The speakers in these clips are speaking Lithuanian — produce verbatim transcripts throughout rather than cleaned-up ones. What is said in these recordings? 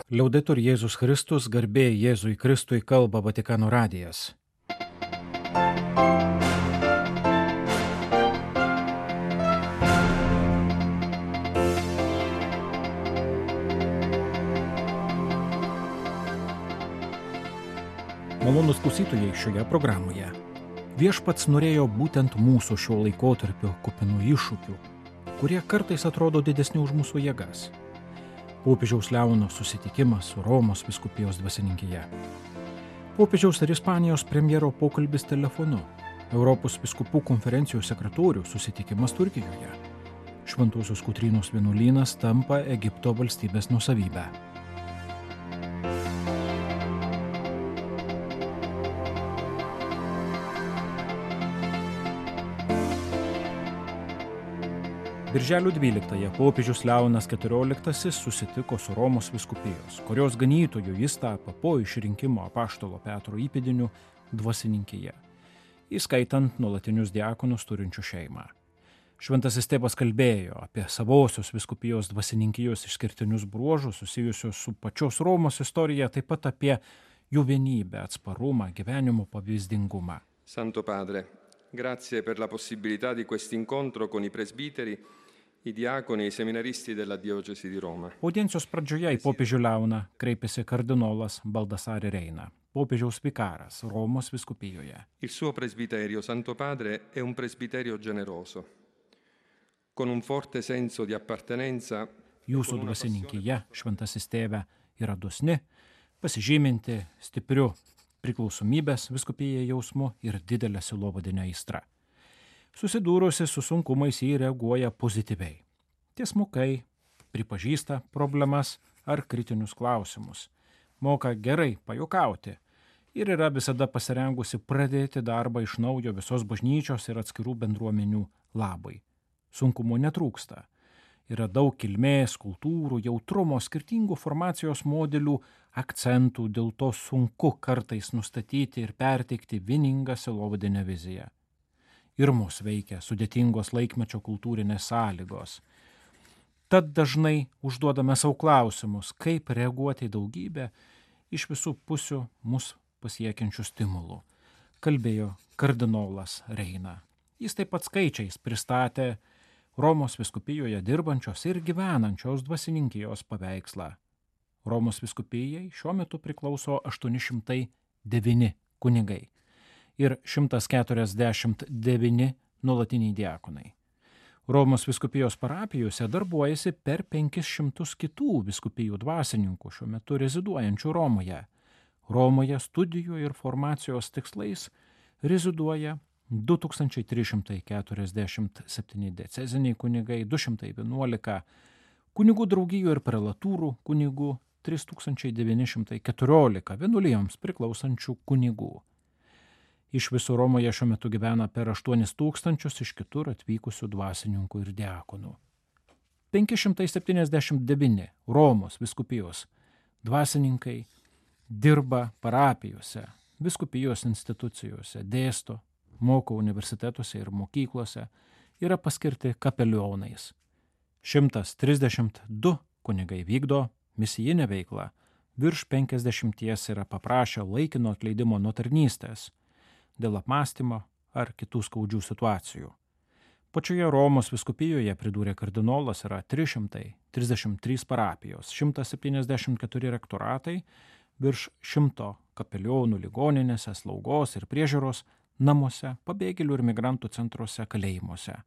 Liaudetur Jėzus Kristus, garbė Jėzui Kristui, kalba Vatikano radijas. Malonūs klausytojai šioje programoje. Viešpats norėjo būtent mūsų šio laikotarpio kupinų iššūkių, kurie kartais atrodo didesni už mūsų jėgas. Popiežiaus Leono susitikimas su Romos vyskupijos dvasininkija. Popiežiaus ir Ispanijos premjero pokalbis telefonu. Europos vyskupų konferencijos sekretorių susitikimas Turkijoje. Šventosios Kotrynos vienuolynas tampa Egipto valstybės nuosavybę. Birželio dvyliktąją popiežius Leonas keturioliktasis susitiko su Romos vyskupijos, kurios ganytoju jis tapo po išrinkimo apaštalo Petro įpėdiniu dvasininkija, įskaitant nuolatinius diakonus turinčių šeimą. Šventasis tėvas kalbėjo apie savosios vyskupijos dvasininkijos išskirtinius bruožus susijusius su pačios Romos istorija, taip pat apie jų vienybę, atsparumą, gyvenimo pavyzdingumą. Santo Padre, grazie per la possibilità di questo incontro con i presbiteri, i diaconi e i seminaristi della diocesi di Roma. Audiencijos pradžioje į popiežių Leoną kreipėsi kardinolas Baldassare Reina, popiežiaus vikaras Romos vyskupijoje. Il suo presbiterio, Santo Padre, è un presbiterio generoso, con un forte senso di appartenenza. Jūsų dvasininkija, šventasis tėve, yra dosni, pasižyminti stipriu priklausomybės vyskupijai jausmu ir didelę sielovadinę aistrą. Susidūrusi su sunkumais jį reaguoja pozityviai. Tiesmukai pripažįsta problemas ar kritinius klausimus. Moka gerai pajuokauti ir yra visada pasirengusi pradėti darbą iš naujo visos bažnyčios ir atskirų bendruomenių labai. Sunkumų netrūksta. Yra daug kilmės, kultūrų, jautrumo, skirtingų formacijos modelių, akcentų, dėl to sunku kartais nustatyti ir perteikti vieningą sielovadinę viziją. Ir mus veikia sudėtingos laikmečio kultūrinės sąlygos. Tad dažnai užduodame savo klausimus, kaip reaguoti į daugybę iš visų pusių mus pasiekiančių stimulų, kalbėjo kardinolas Reina. Jis taip pat skaičiais pristatė Romos vyskupijoje dirbančios ir gyvenančios dvasininkijos paveikslą. Romos vyskupijai šiuo metu priklauso aštuoni šimtai devyni kunigai ir šimtas keturiasdešimt devyni nuolatiniai diakonai. Romos vyskupijos parapijose darbuojasi per penkis šimtus kitų vyskupijų dvasininkų šiuo metu reziduojančių Romoje. Romoje studijų ir formacijos tikslais reziduoja du tūkstančiai trys šimtai keturiasdešimt septyni dieceziniai kunigai, du šimtai vienuolika kunigų draugijų ir prelatūrų kunigų, trys tūkstančiai devyni šimtai keturiolika vienuolijoms priklausančių kunigų. Iš viso Romoje šiuo metu gyvena per aštuonis tūkstančius iš kitur atvykusių dvasininkų ir diakonų. penki šimtai septyniasdešimt devyni Romos vyskupijos dvasininkai dirba parapijose, vyskupijos institucijose, dėsto, moko universitetuose ir mokyklose, yra paskirti kapelionais. šimtas trisdešimt du kunigai vykdo misijinę veiklą, virš penkiasdešimties yra paprašę laikino atleidimo nuo tarnystės dėl apmąstymo ar kitų skaudžių situacijų. Pačioje Romos vyskupijoje, pridūrė kardinolas, yra trys šimtai trisdešimt trys parapijos, šimtas septyniasdešimt keturi rektoratai, virš šimto kapelionų ligoninėse, slaugos ir priežiūros namuose, pabėgėlių ir migrantų centruose, kalėjimuose.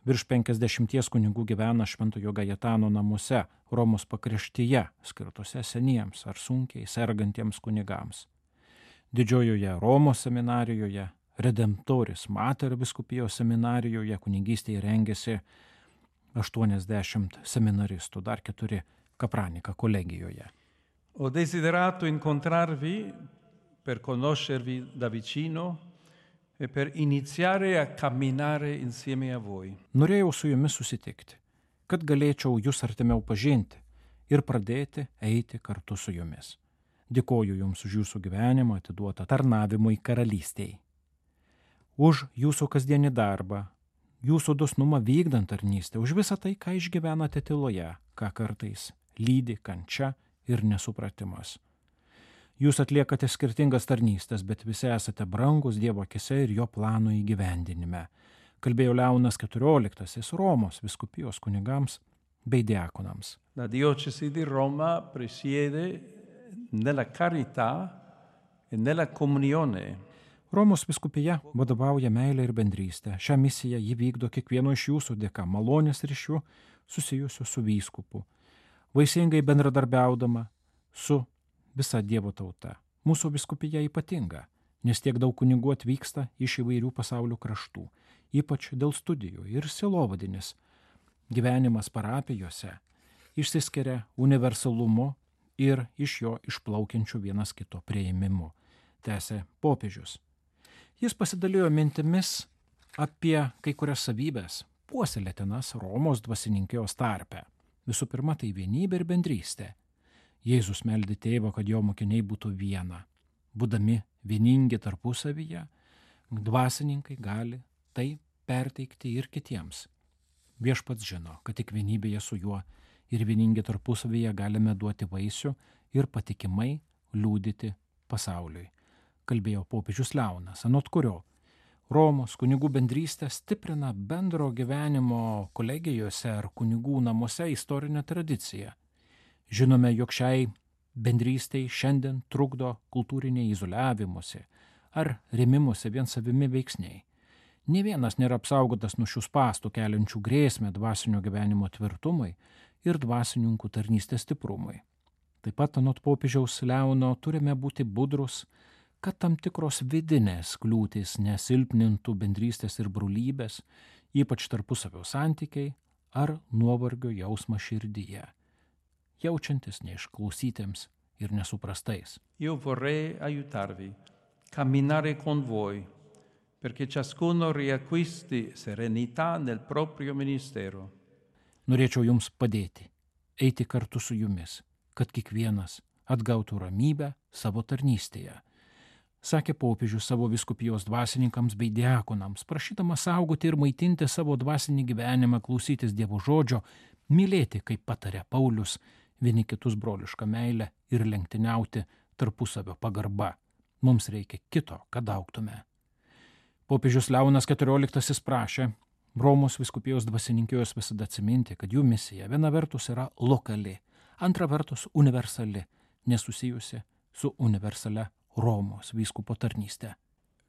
Virš penkiasdešimties kunigų gyvena Šventojo Gajetano namuose, Romos pakraštyje, skirtose seniems ar sunkiai sergantiems kunigams. Didžiojoje Romos seminarijoje, Redemptoris Mater vyskupijos seminarijoje kunigystėje rengėsi aštuoniasdešimt seminaristų, dar keturi Kapranika kolegijoje. Ho desiderato incontrarvi per conoscervi da vicino e per iniziare a camminare insieme a voi. Norėjau su jumis susitikti, kad galėčiau jūs artimiau pažinti ir pradėti eiti kartu su jumis. Dėkoju jums už jūsų gyvenimą atiduotą tarnavimui karalystėj. Už jūsų kasdienį darbą, jūsų dosnumą vykdant tarnystę, už visą tai, ką išgyvenate tyloje, ką kartais lydi kančia ir nesupratimas. Jūs atliekate skirtingas tarnystės, bet visi esate brangus Dievo akise ir jo plano įgyvendinime, kalbėjo Leonas keturioliktasis Romos vyskupijos kunigams bei diakonams. La diocesi di Roma presiede nella carità e nella comunione. Romos vyskupija vadovauja meilę ir bendrystę. Šią misiją jį vykdo kiekvieno iš jūsų dėka malonės ryšių susijusių su vyskupu, vaisingai bendradarbiaudama su visa Dievo tauta. Mūsų vyskupija ypatinga, nes tiek daug kunigų atvyksta iš įvairių pasaulio kraštų, ypač dėl studijų ir sielovadinis gyvenimas parapijose išsiskiria universalumu ir iš jo išplaukiančių vienas kito priėmimu, tęsė popiežius. Jis pasidalijo mintimis apie kai kurias savybės puoselėtinas Romos dvasininkijos tarpe. Visų pirma, tai vienybė ir bendrystė. Jėzus meldė tėvą, kad jo mokiniai būtų viena. Būdami vieningi tarpusavyje, dvasininkai gali tai perteikti ir kitiems. Viešpats žino, kad tik vienybėje su juo ir vieningi tarpusavyje galime duoti vaisių ir patikimai liudyti pasauliui, kalbėjo popiežius Leonas, anot kurio Romos kunigų bendrystė stiprina bendro gyvenimo kolegijose ar kunigų namuose istorinę tradiciją. Žinome, jog šiai bendrystei šiandien trukdo kultūriniai izoliavimuose ar rėmimuose vien savimi veiksniai. Nė vienas nėra apsaugotas nuo šių spąstų keliančių grėsmę dvasinio gyvenimo tvirtumui ir dvasininkų tarnystės stiprumui. Taip pat, anot popiežiaus Leono, turime būti budrus, kad tam tikros vidinės kliūtys nesilpnintų bendrystės ir brolybės, ypač tarpusavio santykiai ar nuovargio jausmą širdyje, jaučiantis neišklausytiems ir nesuprastais. Io vorrei aiutarvi, camminare con voi, perché ciascuno riacquisti serenità nel proprio ministero. Norėčiau jums padėti, eiti kartu su jumis, kad kiekvienas atgautų ramybę savo tarnystėje, sakė popiežius savo vyskupijos dvasininkams bei diakonams, prašydamas saugoti ir maitinti savo dvasinį gyvenimą, klausytis Dievo žodžio, mylėti, kaip patarė Paulius, vieni kitus brolišką meilę ir lenktyniauti tarpusavio pagarba. Mums reikia kito, kad augtume. Popiežius Leonas keturioliktasis prašė Romos vyskupijos dvasininkijos visada atsiminti, kad jų misija viena vertus yra lokali, antra vertus universali, nesusijusi su universalia Romos vyskupo tarnystė.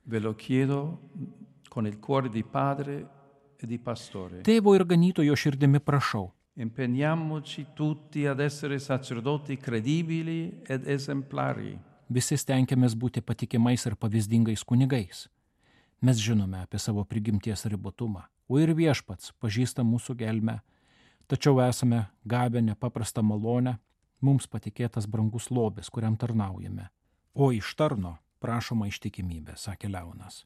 Ve lo chiedo con il cuore di padre e di pastore. Tėvo ir ganytojo širdimi prašau. Impegniamoci tutti ad essere sacerdoti credibili ed esemplari. Visi stengiamės būti patikimais ir pavyzdingais kunigais. Mes žinome apie savo prigimties ribotumą, o ir viešpats pažįsta mūsų gelmę, tačiau esame gavę nepaprastą malonę, mums patikėtas brangus lobis, kuriam tarnaujame. O iš tarno prašoma ištikimybė, sakė Leonas.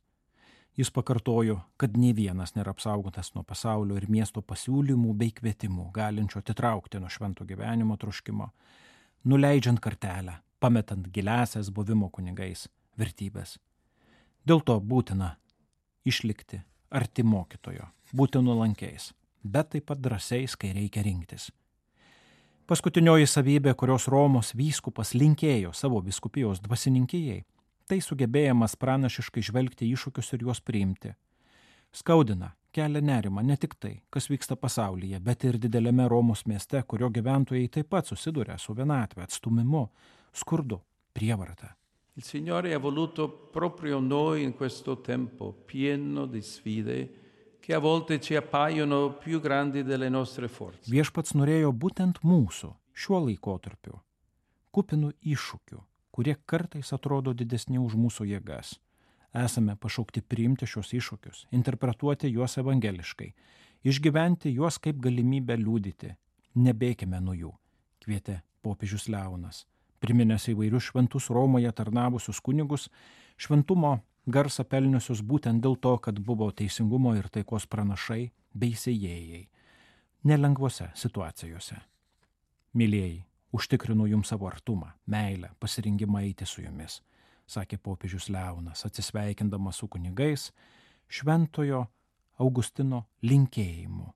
Jis pakartojo, kad nei vienas nėra apsaugotas nuo pasaulio ir miesto pasiūlymų bei kvietimų, galinčio atitraukti nuo švento gyvenimo troškimo, nuleidžiant kartelę, pametant giliasias buvimo kunigais vertybės. Dėl to būtina išlikti arti mokytojo, būti nuolankiais, bet taip pat drąsiais, kai reikia rinktis. Paskutinioji savybė, kurios Romos vyskupas linkėjo savo vyskupijos dvasininkijai, tai sugebėjimas pranašiškai žvelgti iššūkius ir juos priimti. Skaudina, kelia nerimą ne tik tai, kas vyksta pasaulyje, bet ir dideliame Romos mieste, kurio gyventojai taip pat susiduria su vienatve, atstumimu, skurdu, prievarta. Il Signore ha voluto proprio noi in questo tempo pieno di sfide che a volte ci appaiono più grandi delle nostre forze. Viešpats norėjo būtent mūsų šiuo laikotarpiu, kupinų iššūkių, kurie kartais atrodo didesni už mūsų jėgas. Esame pašaukti priimti šios iššūkius, interpretuoti juos evangeliškai, išgyventi juos kaip galimybę liudyti. Nebėkime nuo jų, kvietė popiežius Leonas, priminęs įvairius šventus Romoje tarnavusius kunigus, šventumo garsą pelniusius būtent dėl to, kad buvo teisingumo ir taikos pranašai bei sėjėjai, nelengvose situacijose. Mylėjai, užtikrinu jums savo artumą, meilę, pasirinkimą eiti su jumis, sakė popiežius Leonas, atsisveikindamas su kunigais, šventojo Augustino linkėjimu.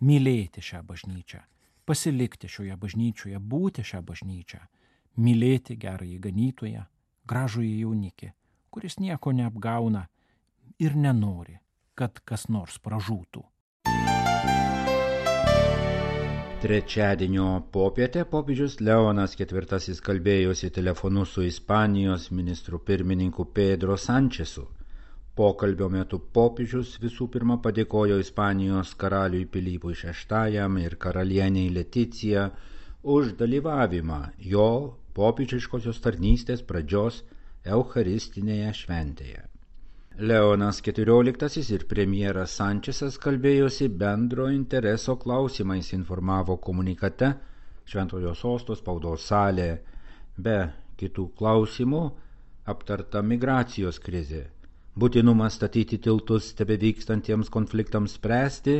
Mylėti šią bažnyčią, pasilikti šioje bažnyčioje, būti šią bažnyčią, mylėti gerąjį ganytoją, gražųjį jaunikį, kuris nieko neapgauna ir nenori, kad kas nors pražūtų. Trečiadienio popietę popiežius Leonas ketvirtasis kalbėjosi telefonu su Ispanijos ministru pirmininku Pedro Sančesu. Pokalbio metu popiežius visų pirma padėkojo Ispanijos karaliui Pilypui šeštajam ir karalieniai Leticija už dalyvavimą jo popiežiškosios tarnystės pradžios eucharistinėje šventėje. Leonas keturioliktasis ir premjeras Sančesas kalbėjosi bendro intereso klausimais, informavo komunikate Šventojo Sosto spaudos salė. Be kitų klausimų aptarta migracijos krizė, būtinumas statyti tiltus tebevykstantiems konfliktams spręsti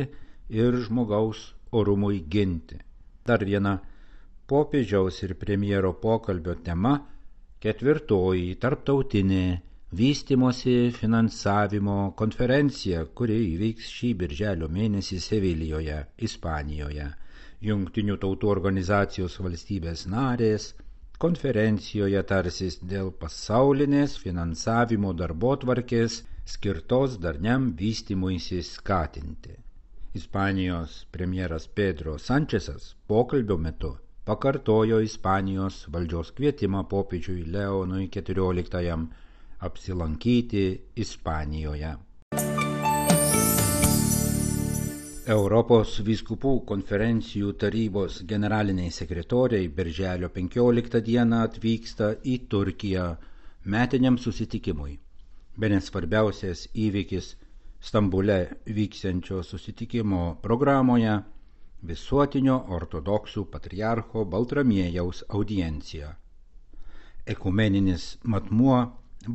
ir žmogaus orumui ginti. Dar viena popiežiaus ir premjero pokalbio tema – ketvirtoji tarptautinė vystymosi finansavimo konferencija, kuri įvyks šį birželio mėnesį Sevilijoje, Ispanijoje. Jungtinių tautų organizacijos valstybės narės konferencijoje tarsis dėl pasaulinės finansavimo darbotvarkės skirtos darniam vystymuisi skatinti. Ispanijos premjeras Pedro Sančesas pokalbio metu pakartojo Ispanijos valdžios kvietimą popiežiui Leonui keturioliktajam apsilankyti Ispanijoje. Europos vyskupų konferencijų tarybos generaliniai sekretoriai birželio penkioliktą dieną atvyksta į Turkiją metiniam susitikimui. Bene svarbiausias įvykis Stambule vyksiančio susitikimo programoje visuotinio ortodoksų patriarcho Baltramiejaus audiencija. Ekumeninis matmuo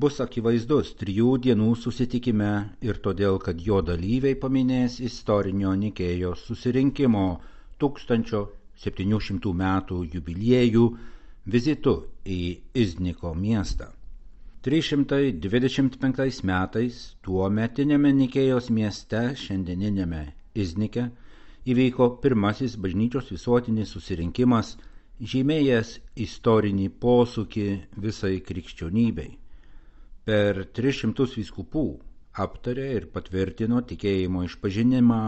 bus akivaizdus trijų dienų susitikime ir todėl, kad jo dalyviai paminės istorinio Nikėjos susirinkimo tūkstančio septynių šimtų metų jubiliejų vizitu į Izniko miestą. trys šimtai dvidešimt penktais metais tuometiniame Nikėjos mieste, šiandieninėme Iznike, įvyko pirmasis bažnyčios visuotinis susirinkimas, žymėjęs istorinį posūkį visai krikščionybei. Per tris šimtus vyskupų aptarė ir patvirtino tikėjimo išpažinimą,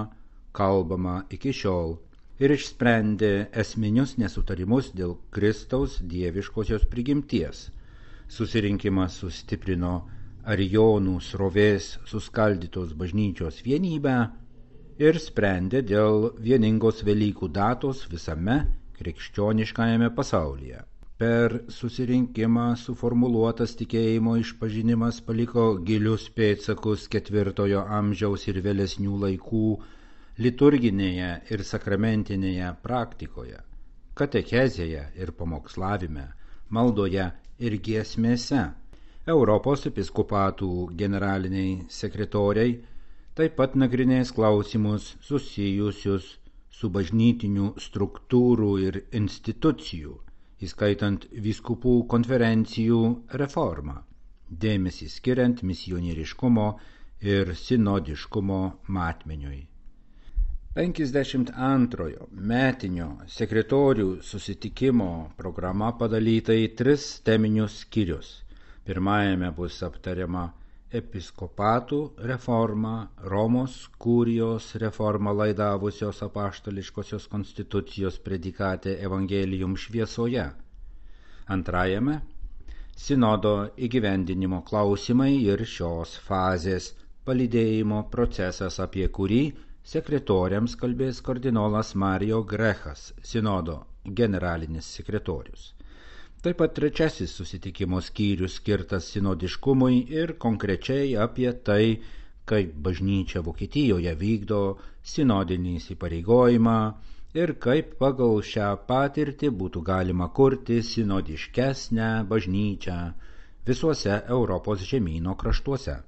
kalbama iki šiol, ir išsprendė esminius nesutarimus dėl Kristaus dieviškosios prigimties. Susirinkimas sustiprino arijonų srovės suskaldytos bažnyčios vienybę ir sprendė dėl vieningos Velykų datos visame krikščioniškajame pasaulyje. Per susirinkimą suformuluotas tikėjimo išpažinimas paliko gilius pėdsakus ketvirtojo amžiaus ir vėlesnių laikų liturginėje ir sakramentinėje praktikoje, katechezėje ir pamokslavime, maldoje ir giesmėse. Europos episkopatų generaliniai sekretoriai taip pat nagrinės klausimus susijusius su bažnytinių struktūrų ir institucijų, įskaitant vyskupų konferencijų reformą, dėmesį skiriant misionieriškumo ir sinodiškumo matmeniui. penkiasdešimt antrojo metinio sekretorių susitikimo programa padalyta į tris teminius skyrius. Pirmajame bus aptariama episkopatų reforma, Romos kurijos reforma laidavusios apaštališkosios konstitucijos predikate Evangelium šviesoje. Antrajame sinodo įgyvendinimo klausimai ir šios fazės palydėjimo procesas, apie kurį sekretoriams kalbės kardinolas Mario Grechas, sinodo generalinis sekretorius. Taip pat trečiasis susitikimo skyrius skirtas sinodiškumui ir konkrečiai apie tai, kaip bažnyčia Vokietijoje vykdo sinodinį įsipareigojimą ir kaip pagal šią patirtį būtų galima kurti sinodiškesnę bažnyčią visuose Europos žemyno kraštuose.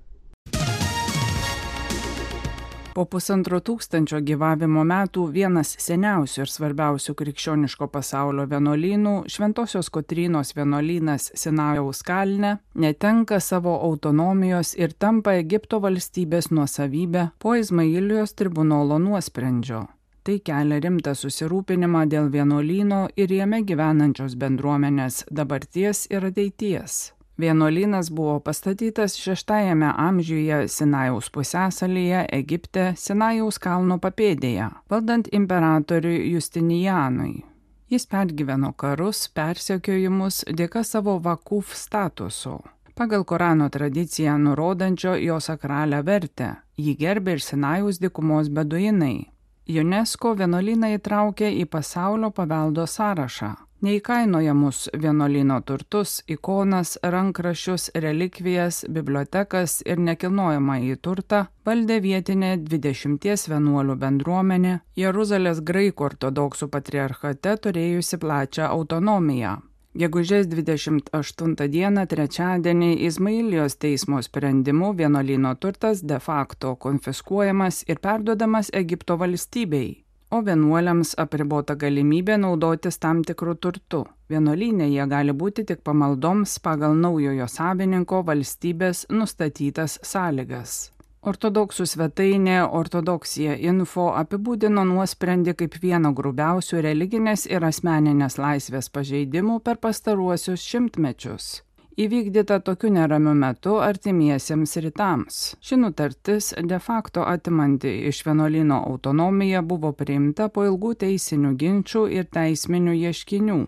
Po pusantro tūkstančio gyvavimo metų vienas seniausių ir svarbiausių krikščioniško pasaulio vienuolynų, Šventosios Kotrynos vienuolynas Sinajaus kalne, netenka savo autonomijos ir tampa Egipto valstybės nuosavybė po Izmailijos tribunolo nuosprendžio. Tai kelia rimtą susirūpinimą dėl vienuolyno ir jame gyvenančios bendruomenės dabarties ir ateities. Vienuolynas buvo pastatytas šeštajame amžiuje Sinajaus pusiasalyje, Egipte, Sinajaus kalno papėdėje, valdant imperatoriui Justinijanui. Jis pergyveno karus, persekiojimus dėka savo vakuf statuso. Pagal Korano tradiciją nurodančio jo sakralią vertę, jį gerbė ir Sinajaus dykumos beduinai. UNESCO vienuolyną įtraukė į pasaulio paveldo sąrašą. Neįkainojamus vienuolyno turtus, ikonas, rankraščius, relikvijas, bibliotekas ir nekilnojamąjį turtą valdė vietinė dvidešimties vienuolių bendruomenė, Jeruzalės graikų ortodoksų patriarchate turėjusi plačią autonomiją. Gegužės dvidešimt aštuntą dieną trečiadienį Izmailijos teismo sprendimu vienuolyno turtas de facto konfiskuojamas ir perduodamas Egipto valstybei, o vienuoliams apribota galimybė naudotis tam tikrų turtų. Vienuolyne jie gali būti tik pamaldoms pagal naujojo savininko valstybės nustatytas sąlygas. Ortodoksų svetainė Ortodoksija info apibūdino nuosprendį kaip vieną grubiausių religinės ir asmeninės laisvės pažeidimų per pastaruosius šimtmečius. Įvykdyta tokiu neramiu metu artimiesiems rytams. Ši nutartis de facto atimanti iš vienuolyno autonomiją buvo priimta po ilgų teisinių ginčų ir teisminių ieškinių,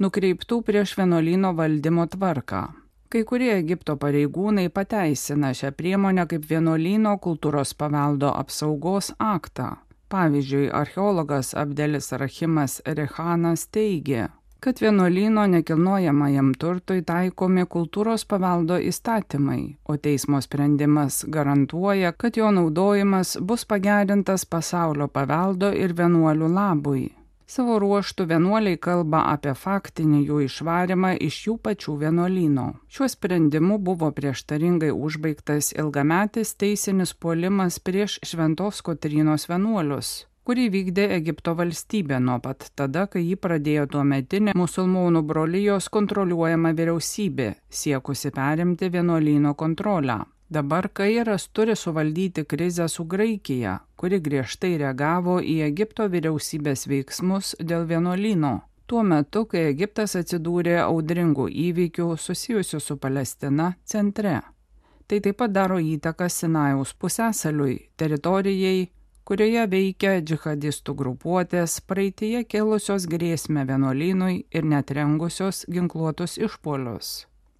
nukreiptų prieš vienuolyno valdymo tvarką. Kai kurie Egipto pareigūnai pateisina šią priemonę kaip vienuolyno kultūros paveldo apsaugos aktą. Pavyzdžiui, archeologas Abdelis Rahimas Rehanas teigė, kad vienuolyno nekilnojamajam turtui taikomi kultūros paveldo įstatymai, o teismo sprendimas garantuoja, kad jo naudojimas bus pagerintas pasaulio paveldo ir vienuolių labui. Savo ruožtų vienuoliai kalba apie faktinį jų išvarimą iš jų pačių vienuolyno. Šiuo sprendimu buvo prieštaringai užbaigtas ilgametis teisinis puolimas prieš Šventos Kotrynos vienuolius, kurį vykdė Egipto valstybė nuo pat tada, kai jį pradėjo tuometinė musulmonų brolijos kontroliuojama vyriausybė, siekusi perimti vienuolyno kontrolę. Dabar Kairas turi suvaldyti krizę su Graikija, kuri griežtai reagavo į Egipto vyriausybės veiksmus dėl vienuolyno. Tuo metu, kai Egiptas atsidūrė audringų įvykių susijusių su Palestina centre. Tai taip pat daro įtaką Sinajaus pusiasaliui, teritorijai, kurioje veikia džihadistų grupuotės, praeityje kėlusios grėsmę vienuolynui ir net rengusios ginkluotus išpuolius.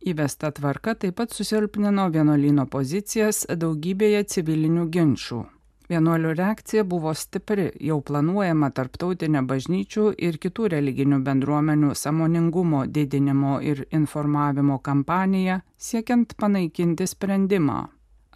Įvesta tvarka taip pat susilpnino vienuolyno pozicijas daugybėje civilinių ginčų. Vienuolių reakcija buvo stipri, jau planuojama tarptautinė bažnyčių ir kitų religinių bendruomenių sąmoningumo didinimo ir informavimo kampanija, siekiant panaikinti sprendimą.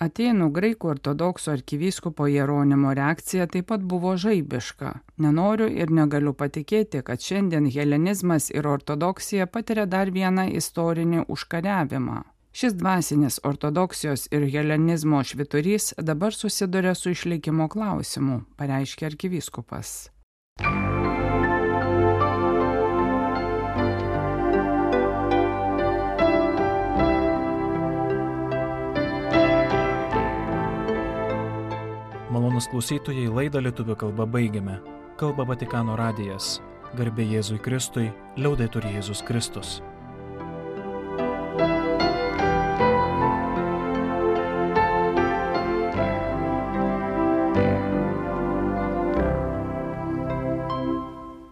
Atėnų graikų ortodoksų arkivyskupo Jeronimo reakcija taip pat buvo žaibiška. Nenoriu ir negaliu patikėti, kad šiandien helenizmas ir ortodoksija patiria dar vieną istorinį užkariavimą. Šis dvasinis ortodoksijos ir helenizmo švyturys dabar susiduria su išlikimo klausimu, pareiškė arkivyskupas. Malonūs klausytojai, laidą lietuvių kalba baigiame. Kalba Vatikano radijas. Garbė Jėzui Kristui, liaudetur Jėzus Kristus.